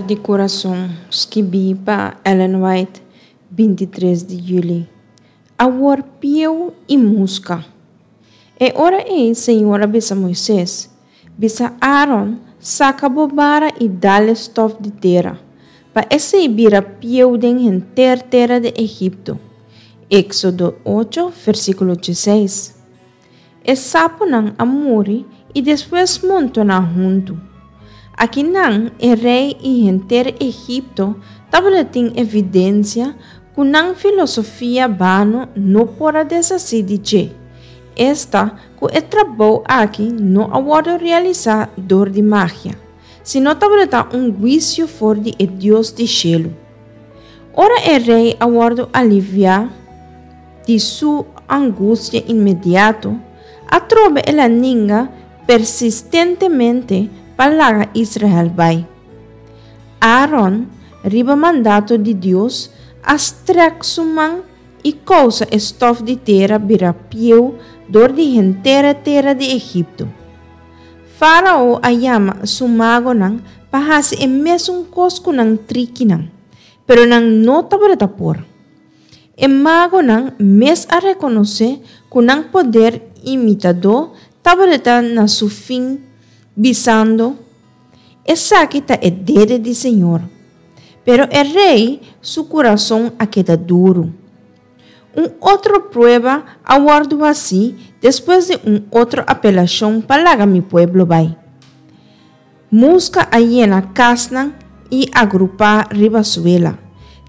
For di kurason, skibí pa Ellen White, 23 di yüli. Awor pieu i muska. E ora ei Señor a bisa Moises, Bisa Aaron, Saka bo bara i dal e stòf di tera, pa esei bira pieu den henter tera di Egipto. Éksodo ocho, versíkulo dieseis. E sapunan a muri i despues montoná huntu. Akinan e rei i henter Egipto tabatin evidensia ku nan filosofia bano no por a deshasí di dje, esta ku e trabou aki no a wòrdu realisá dor di magia, sino tabata un huisio for di e Dios di shelu. Ora e rei a wòrdu aliviá di su angustia inmediato, atrobe el a ninga persistentemente pa laga Israel bai. Aaron, riba mandato di Dios, a strèk su man i kousa e stòf di tera bira pieu dor di henter e tera di Egipto. Fárao a yama su magonan pa hasi e mesun kos ku nan trikinan, pero nan no tabata por. E magonan mes a rekonosé ku nan poder imitadó tabata na su fin, bisando, Esaki ta e dede di señor. Pero e rei su kurason a keda duru. Un otro prueba a wòrdu hasí despues di un otro apelashon pa laga mi pueblo bai. Muska a yena kasnan i agrupá riba suela,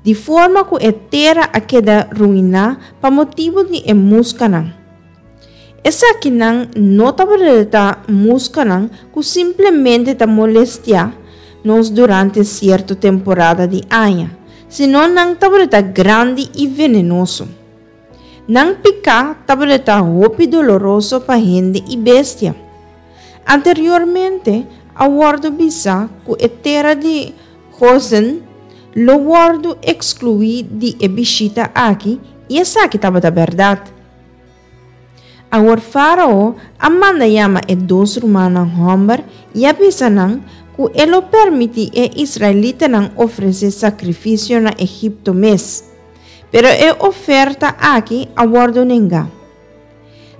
di forma ku e tera a keda ruiná pa motibu di e muskanan. Esakinan no tabata muskanan ku simplemente ta molestiá nos durante sierto temporada di aña, sino nan tabata grandi i venenoso. Nan piká tabata hopi doloroso pa hende i bestia. Anteriormente a wòrdu bisá ku e tera di Gosen lo wòrdu ekskluí di e bishita aki i esaki tabata bèrdat. Awor Fárao a manda yama e dos rumannan hòmber i a bisa nan ku e lo permití e israelitanan ofresé sakrifisio na Egipto mes. Pero e oferta aki a wòrdu nengá.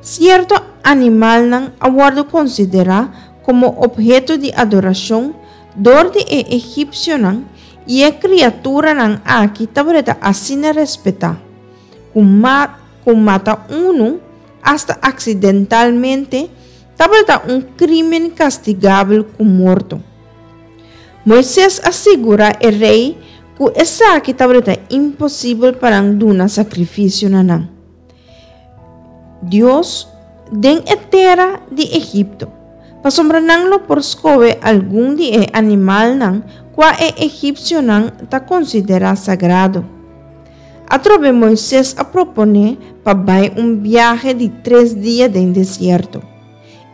Sierto animalnan a wòrdu konsiderá komo opheto di adorashon dor di e egipsionan i e kriaturanan aki tabata asina respetá, ku ku mata unu, asta aksidentalmente, tabata un krímen kastigabel ku morto. Moises a sigurá e rei ku esaki tabata imposibel pa nan duna sakrifisio na nan. Dios den e tera di Egipto, pasobra nan lo por skohe algun di e animalnan kua e egipsionan ta konsiderá sagrado. Atrobe Moises a proponé pa bai un biahe di tres dia den desierto.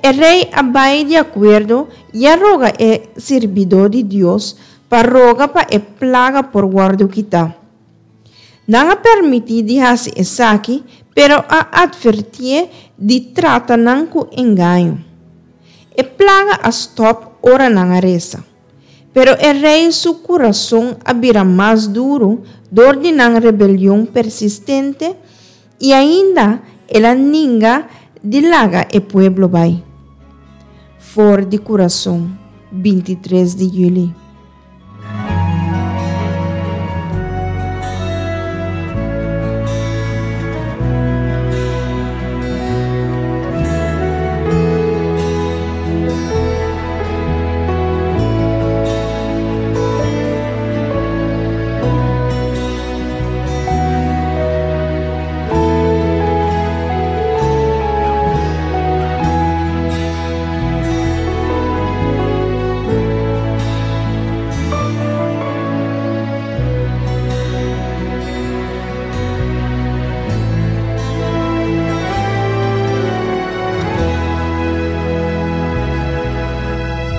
E rei a bai di akuerdo i a roga e sirbidó di Dios pa roga pa e plaga por wòrdu kitá. Nan a permití di hasi esaki, pero a atvertié di trata nan ku engaño. E plaga a stòp ora nan a resa. Pero e rei su kurason a bira mas duru dor di nan rebelion persistente i ainda el a ninga di laga e pueblo bai. For di kurason, 23 di yüli.